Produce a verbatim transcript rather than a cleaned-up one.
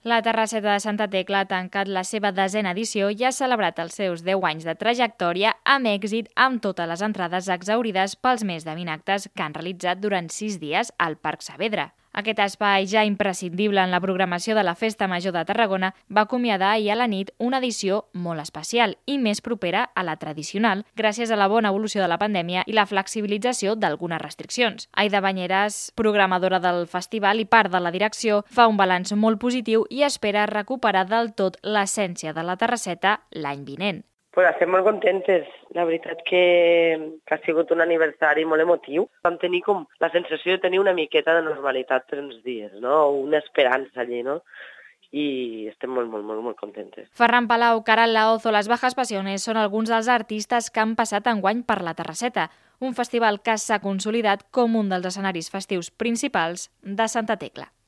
La Terrasseta de Santa Tecla ha tancat la seva desena edició i ha celebrat els seus deu anys de trajectòria amb èxit, amb totes les entrades exhaurides pels més de vint actes que han realitzat durant sis dies al Parc Saavedra. Aquest espai, ja imprescindible en la programació de la Festa Major de Tarragona, va acomiadar ahir a la nit una edició molt especial i més propera a la tradicional, gràcies a la bona evolució de la pandèmia i la flexibilització d'algunes restriccions. Aida Banyeras, programadora del festival i part de la direcció, fa un balanç molt positiu i espera recuperar del tot l'essència de la Terrasseta l'any vinent. Pues estem molt contentes. La veritat que, que ha sigut un aniversari molt emotiu. Vam tenir com la sensació de tenir una miqueta de normalitat per uns dies, no? Una esperança allí, no? I estem molt, molt, molt, molt contentes. Ferran Palau, Caral Laoz o les Bajas Pasiones són alguns dels artistes que han passat enguany per la Terrasseta, un festival que s'ha consolidat com un dels escenaris festius principals de Santa Tecla.